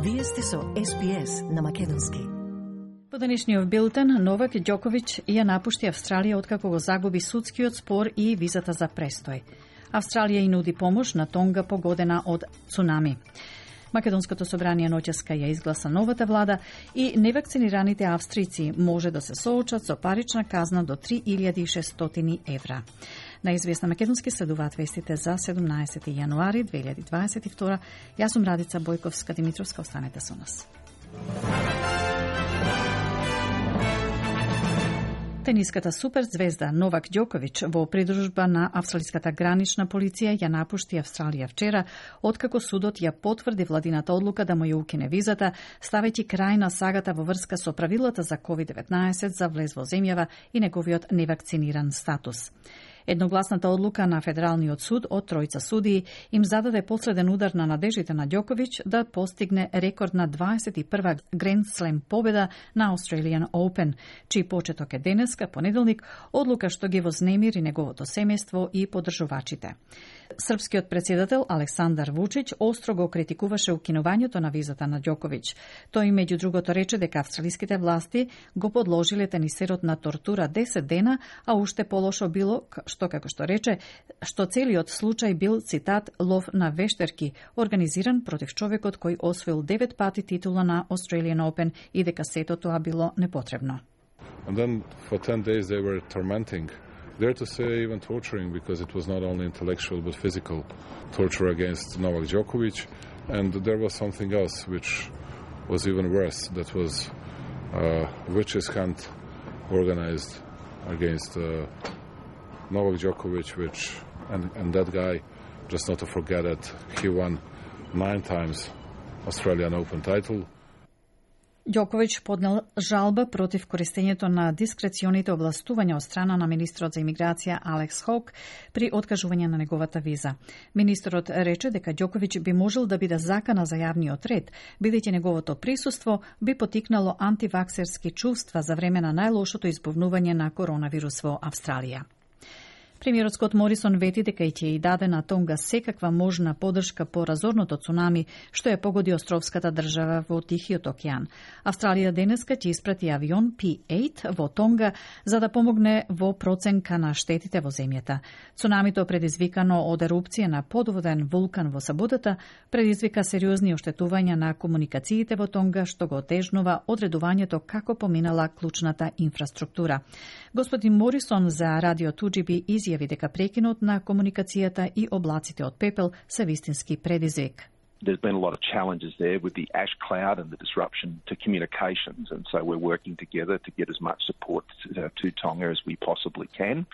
Вие сте со SBS на македонски. По денешниот билтен, Новак Ѓоковиќ ја напушти Австралија откако го загуби судскиот спор и визата за престој. Австралија и нуди помош на Тонга погодена од цунами. Македонското собрание ноќеска ја изгласа новата влада и невакцинираните австрици може да се соочат со парична казна до 3600 евра. На СБС на македонски следуваат вестите за 17 јануари 2022. Јас сум Радица Бојковска-Димитровска, останете со нас. Тениската суперзвезда Новак Ѓоковиќ во придружба на австралиската гранична полиција ја напушти Австралија вчера, откако судот ја потврди владината одлука да му ја укине визата, ставејќи крај на сагата во врска со правилата за COVID-19 за влез во земјава и неговиот невакциниран статус. Едногласната одлука на Федералниот суд од тројца судии им зададе последен удар на надежите на Ѓоковиќ да постигне рекордна 21 Grand Slam победа на Australian Open, чиј почеток е денеска, понеделник, одлука што ги вознемири неговото семејство и поддржувачите. Српскиот претседател Александар Вучиќ остро го критикуваше укинувањето на визата на Ѓоковиќ. Тој меѓу другото рече дека австралиските власти го подложиле тенисерот на тортура 10 дена, а уште полошо било што, како што рече, што целиот случај бил, цитат, лов на вештерки, организиран против човекот кој освоил 9 пати титула на Australian Open и дека сето тоа било непотребно. And then for 10 days they were tormenting, dare to say even torturing, because it was not only intellectual but physical torture against Novak Djokovic. And there was something else which was even worse, that was witches hunt organized against Novak Djokovic, and that guy, just not to forget that he won 9 times Australian Open title. Ѓоковиќ поднел жалба против користењето на дискреционите овластувања од страна на министрот за имиграција Алекс Хок при откажување на неговата виза. Министрот рече дека Ѓоковиќ би можел да биде закана за јавниот ред, бидејќи неговото присуство би потикнало антиваксерски чувства за време на најлошото избувнување на коронавирус во Австралија. Премиерот Скот Морисон вети дека ќе и даде на Тонга секаква можна поддршка по разорното цунами што ја погоди островската држава во Тихиот океан. Австралија денеска ќе испрати авион P-8 во Тонга за да помогне во проценка на штетите во земјата. Цунамито предизвикано од ерупција на подводен вулкан во саботата предизвика сериозни оштетувања на комуникациите во Тонга што го отежнува одредувањето како поминала клучната инфраструктура. Господин Морисон за радио 2GB изјави дека прекинот на комуникацијата и облаците од пепел се вистински предизвик. There's been a lot of challenges there with the ash cloud and the disruption to communications, and so we're working together to get as much support to Tonga as we possibly can.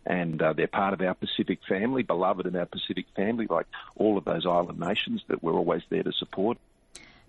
And they're part of our Pacific family, beloved in our Pacific family, like all of those island nations that we're always there to support.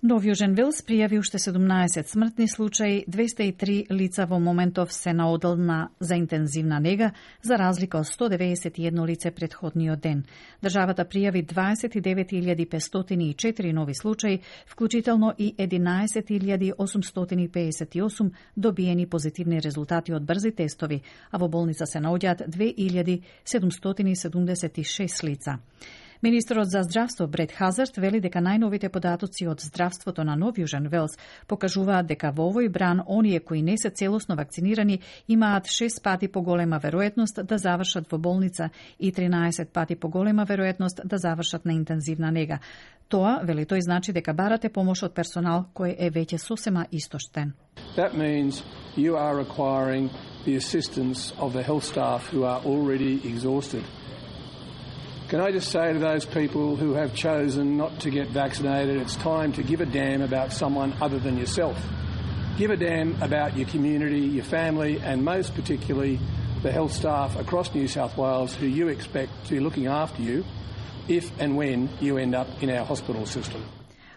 Нов Јужен Велс пријави уште 17 смртни случаи, 203 лица во моментов се на одделна за интензивна нега, за разлика од 191 лице претходниот ден. Државата пријави 29.504 нови случаи, вклучително и 11.858 добиени позитивни резултати од брзи тестови, а во болница се наоѓаат 2.776 лица. Министерот за здравство Брет Хазард вели дека најновите податоци од здравството на Нов Јужен Велс покажуваат дека во овој бран оние кои не се целосно вакцинирани имаат 6 пати поголема веројатност да завршат во болница и 13 пати поголема веројатност да завршат на интензивна нега. Тоа, вели тој, значи дека барате помош од персонал кој е веќе сосема истоштен. That means you are requiring the assistance of the health staff who are already exhausted. Can I just say to those people who have chosen not to get vaccinated, it's time to give a damn about someone other than yourself. Give a damn about your community, your family, and most particularly the health staff across New South Wales who you expect to be looking after you if and when you end up in our hospital system.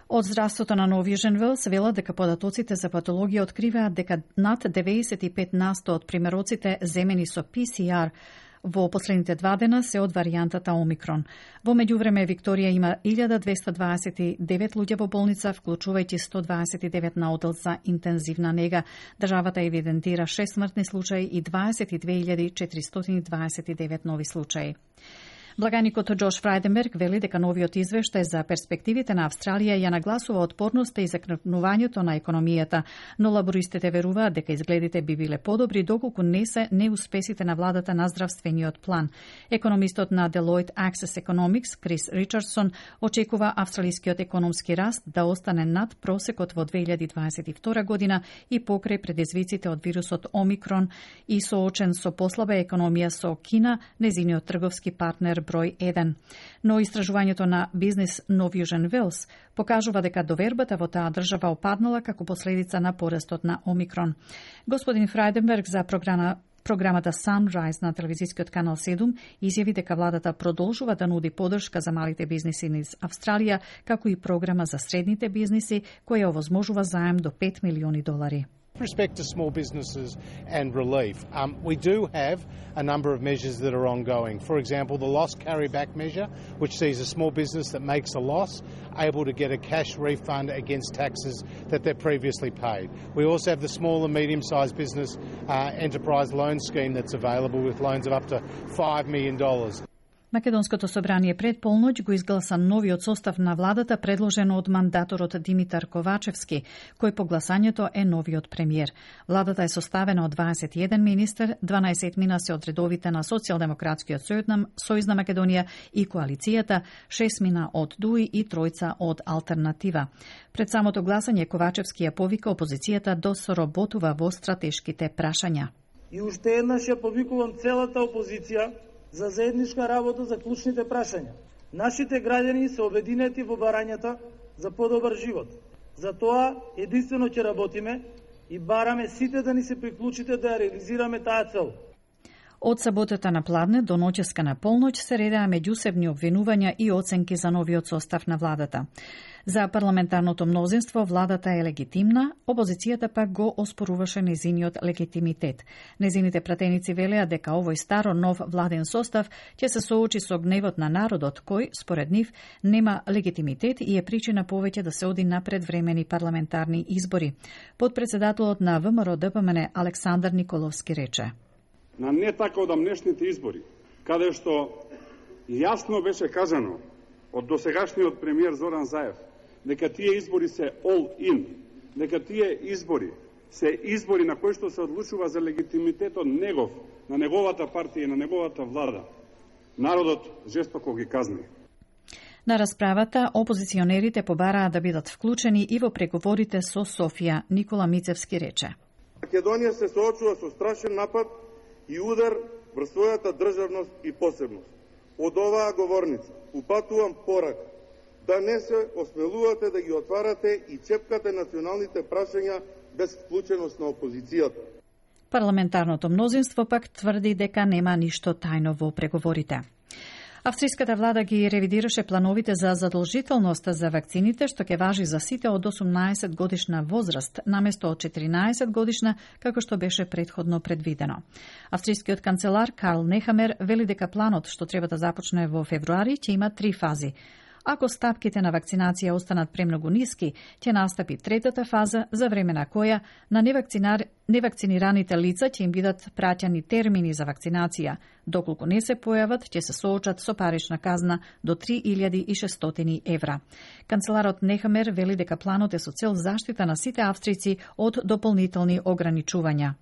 Од здравството на Нов Јужен Велс велат дека податоците за патологија откриваат дека над 95% од примероците земени со PCR во последните 2 дена се од варијантата Омикрон. Во меѓувреме Викторија има 1229 луѓе во болница, вклучувајќи 129 на оддел за интензивна нега. Државата евидентира 6 смртни случаи и 22.429 нови случаи. Благаникот Джош Фрајденберг вели дека новиот извештај за перспективите на Австралија ја нагласува отпорноста и закрепнувањето на економијата, но лабористите веруваат дека изгледите би биле подобри доколку не се неуспесите на владата на здравствениот план. Економистот на Deloitte Access Economics Крис Ричардсон очекува австралискиот економски раст да остане над просекот во 2022 година и покрај предизвиците од вирусот Омикрон и соочен со послаба економија со Кина, незиниот трговски партнер број 1. Но истражувањето на Business Norwegian Wales покажува дека довербата во таа држава опаднала како последица на порастот на Омикрон. Господин Фрајденберг за програмата Sunrise на телевизискиот канал 7 изјави дека владата продолжува да нуди поддршка за малите бизниси низ Австралија, како и програма за средните бизниси која овозможува заем до $5 милиони. With respect to small businesses and relief, we do have a number of measures that are ongoing. For example, the loss carryback measure, which sees a small business that makes a loss able to get a cash refund against taxes that they've previously paid. We also have the small and medium-sized business enterprise loan scheme that's available with loans of up to $5 million. Македонското собрание пред полноќ го изгласа новиот состав на владата предложен од мандаторот Димитар Ковачевски, кој по гласањето е новиот премиер. Владата е составена од 21 министер, 12 мина се од редовите на Социјалдемократскиот сојуз на Македонија и коалицијата, 6 мина од ДУИ и 3 од Алтернатива. Пред самото гласање Ковачевски ја повика опозицијата да соработува во стратешките прашања. И уште еднаш ја повикувам целата опозиција за заедничка работа за клучните прашања. Нашите граѓани се обединети во барањата за подобар живот. За тоа единствено ќе работиме и бараме сите да ни се приклучите да ја реализираме таа цел. Од саботата на пладне до ноќеска на полноќ се редаа меѓусебни обвинувања и оценки за новиот состав на владата. За парламентарното мнозинство владата е легитимна, опозицијата пак го оспоруваше незиниот легитимитет. Незините пратеници велеа дека овој старо нов владен состав ќе се соочи со гневот на народот кој, според нив, нема легитимитет и е причина повеќе да се оди на предвремени парламентарни избори. Подпредседателот на ВМРО-ДПМН Александар Николовски рече: на не така одамнешните избори, каде што јасно беше кажано од досегашниот премиер Зоран Заев дека тие избори се all in, дека тие избори се избори на кои што се одлучува за легитимитетот негов, на неговата партија и на неговата влада. Народот жестоко ги казни. На расправата, опозиционерите побараа да бидат вклучени и во преговорите со Софија. Никола Мицевски рече: Македонија се соочува со страшен напад и удар врз својата државност и посебност. Од оваа говорница упатувам порака да не се осмелувате да ги отварате и чепкате националните прашања без вклученост на опозицијата. Парламентарното мнозинство пак тврди дека нема ништо тајно во преговорите. Австриската влада ги ревидираше плановите за задолжителност за вакцините, што ќе важи за сите од 18 годишна возраст, наместо од 14 годишна, како што беше претходно предвидено. Австрискиот канцелар Карл Нехамер вели дека планот, што треба да започне во февруари, ќе има 3 фази. Ако стапките на вакцинација останат премногу ниски, ќе настапи третата фаза, за време на која на невакцинираните лица ќе им бидат праќани термини за вакцинација. Доколку не се појават, ќе се соочат со парична казна до 3600 евра. Канцеларот Нехамер вели дека планот е со цел заштита на сите австрици од дополнителни ограничувања.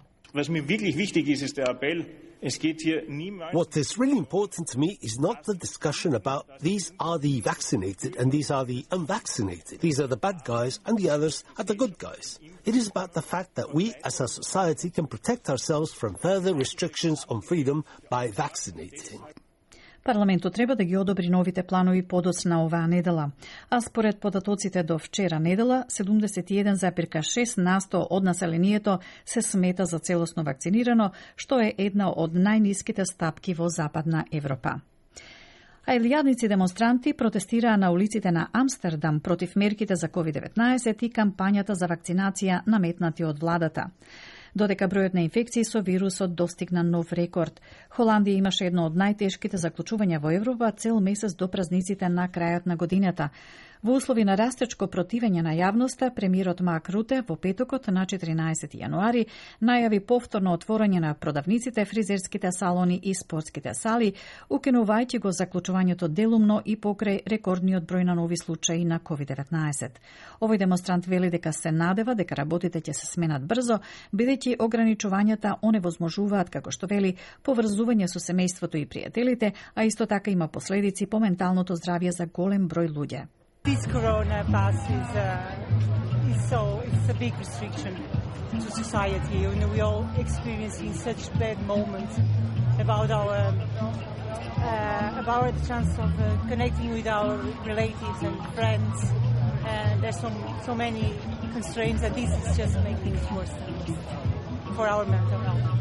What is really important to me is not the discussion about these are the vaccinated and these are the unvaccinated. These are the bad guys and the others are the good guys. It is about the fact that we as a society can protect ourselves from further restrictions on freedom by vaccinating. Парламентот треба да ги одобри новите планови подоцна оваа недела. А според податоците до вчера недела, 71,6% од населението се смета за целосно вакцинирано, што е една од најниските стапки во Западна Европа. А илјадници демонстранти протестираа на улиците на Амстердам против мерките за COVID-19 и кампањата за вакцинација наметнати од владата. Додека бројот на инфекции со вирусот достигна нов рекорд. Холандија имаше едно од најтешките заклучувања во Европа цел месец до празниците на крајот на годината. Во услови на растечко противење на јавноста, премиерот Марк Руте во петокот на 14 јануари најави повторно отворање на продавниците, фризерските салони и спортските сали, укинувајќи го заклучувањето делумно и покрај рекордниот број на нови случаи на COVID-19. Овој демонстрант вели дека се надева дека работите ќе се сменат брзо, бидејќи ограничувањата оневозможуваат, како што вели, поврзување со семејството и пријателите, а исто така има последици по менталното здравје за голем број луѓе. This corona pass it's a big restriction to society. You know, we all experiencing such bad moments about the chance of connecting with our relatives and friends. And there's so many constraints, and this is just making things worse for our mental health.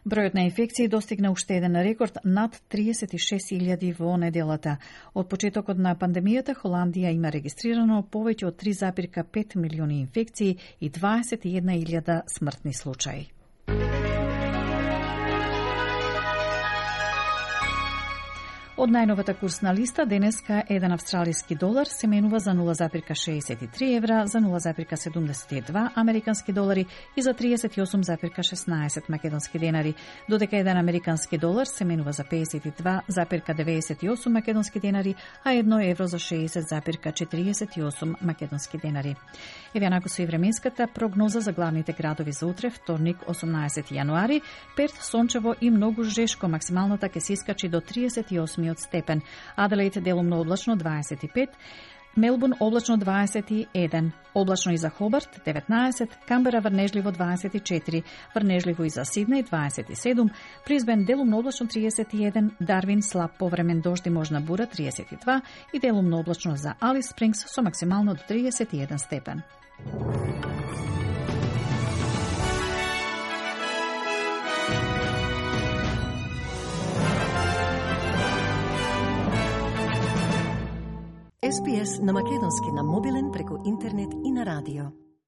Бројот на инфекции достигна уште еден рекорд над 36.000 во неделата. Од почетокот на пандемијата Холандија има регистрирано повеќе од 3,5 милиони инфекции и 21.000 смртни случаи. Од најновата курсна листа денеска еден австралиски долар се менува за 0,63 евра, за 0,72 американски долари и за 38,16 македонски денари, додека еден американски долар се менува за 52,98 македонски денари, а 1 евро за 60,48 македонски денари. Еве онако со и временската прогноза за главните градови за утре, вторник 18 јануари, Перт сончево и многу жешко, максималната ќе се искачи до 38 степен. Аделаид делумно облачно 25, Мелбурн облачно 21, облачно и за Хобарт 19, Камбера врнежливо 24, врнежливо и за Сиднеј 27, Брисбен делумно облачно 31, Дарвин слаб повремен дожд и можна бура 32 и делумно облачно за Алис Спрингс со максимално до 31 степен. SPS на македонски на мобилен преку интернет и на радио.